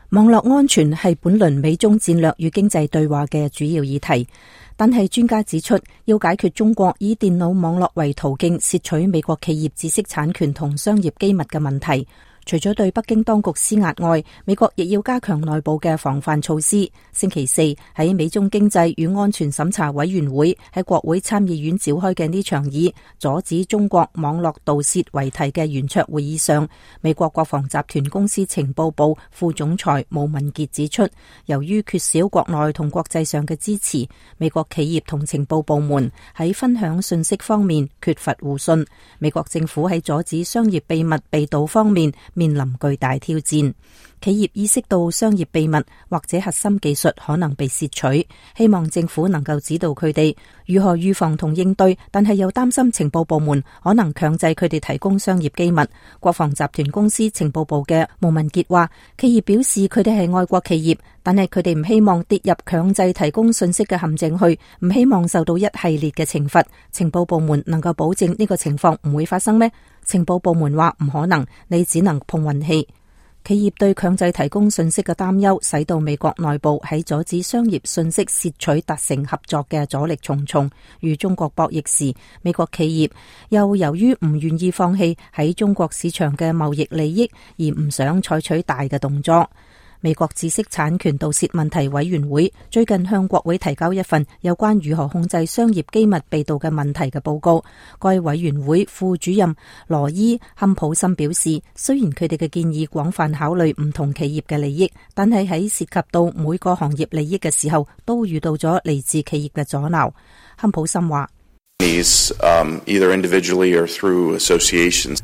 網絡安全係本輪美中戰略與經濟對話嘅主要議題，但係專家指出，要解決中國以電腦網絡為途徑竊取美國企業知識產權同商業機密嘅問題，除咗對北京當局施壓外，美國亦要加強內部嘅防範措施。星期四喺美中經濟與安全審查委員會喺國會參議院召開嘅呢場以阻止中國網絡盜竊為題嘅圓桌會議上，美國國防集團公司情報部副總裁毛文傑指出，由於缺少國內同國際上嘅支持，美國企業同情報部門喺分享信息方面缺乏互信，美國政府喺阻止商業秘密被盜方面面臨巨大挑戰。企業意識到商業秘密或者核心技術可能被竊取，希望政府能夠指導佢哋如何預防同應對，但係又擔心情報部門可能強制佢哋提供商業機密。國防集團公司情報部嘅毛文傑話，企業表示佢哋係愛國企業，但係佢哋唔希望跌入強制提供信息嘅陷阱去，唔希望受到一系列嘅懲罰。情報部門能夠保證呢個情況唔會發生咩？情報部門話唔可能，你只能碰運氣。企業對強制提供信息嘅擔憂，使到美國內部喺阻止商業信息竊取達成合作嘅阻力重重。與中國博弈時，美國企業又由於唔願意放棄喺中國市場嘅貿易利益，而唔想採取大嘅動作。美國知識產權盜竊問題委員會最近向國會提交一份有關如何控制商業機密被盜嘅問題嘅報告。該委員會副主任羅伊坎普森表示，雖然佢哋嘅建議廣泛考慮唔同企業嘅利益，但係喺涉及到每個行業利益嘅時候，都遇到咗嚟自企業嘅阻撓。坎普森話：either individually or through associations,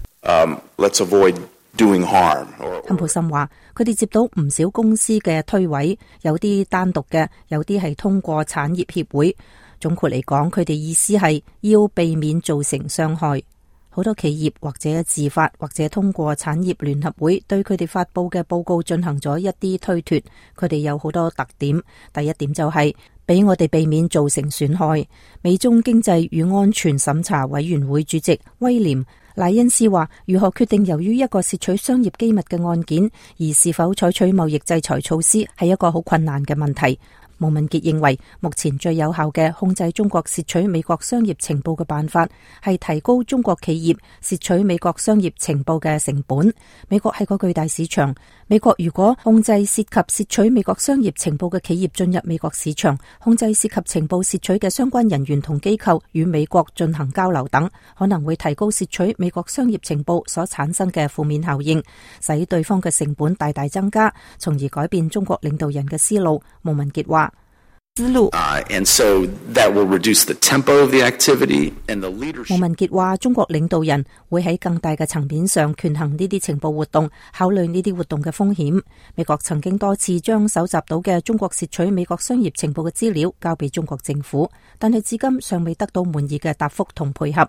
let's avoid doing harm. 坎普森話，佢哋接到唔少公司嘅推諉，有啲單獨嘅，有啲係通過產業協會。總括嚟講，佢哋意思係要避免造成傷害。好多企業或者自發或者通過產業聯合會對佢哋發佈嘅報告進行咗一啲推脫。佢哋有好多特點。第一點就係俾我哋避免造成損害。美中經濟與安全審查委員會主席威廉賴恩斯話，如何決定由於一個竊取商業機密嘅案件而是否採取貿易制裁措施，係一個好困難嘅問題。毛文傑認為，目前最有效嘅控制中國竊取美國商業情報嘅辦法係提高中國企業竊取美國商業情報嘅成本。美國係個巨大市場，美國如果控制涉及竊取美國商業情報嘅企業進入美國市場，控制涉及情報竊取嘅相關人員同機構與美國進行交流等，可能會提高竊取美國商業情報所產生嘅負面效應，使對方嘅成本大大增加，從而改變中國領導人嘅思路。毛文傑話，and so that will reduce the tempo of the activity and the leadership. 毛文傑話，中國領導人會喺更大嘅層面上權衡呢啲情報活動，考慮呢啲活動嘅風險。美國曾經多次將搜集到嘅中國竊取美國商業情報嘅資料交俾中國政府，但係至今尚未得到滿意嘅答覆同配合。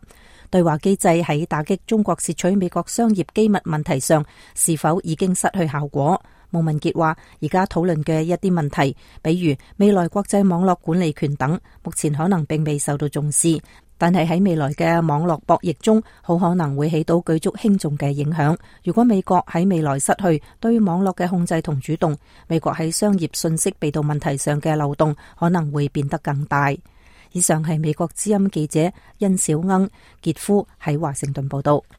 對話機制喺打擊中國竊取美國商業機密問題上是否已經失去效果？毛文傑話，而家討論嘅一啲問題，比如未來國際網絡管理權等，目前可能並未受到重視，但係喺未來嘅網絡博弈中，好可能會起到舉足輕重嘅影響。如果美國喺未來失去對網絡嘅控制同主動，美國喺商業信息被盜問題上嘅漏洞可能會變得更大。以上係美國之音記者殷小鶯傑夫喺華盛頓報道。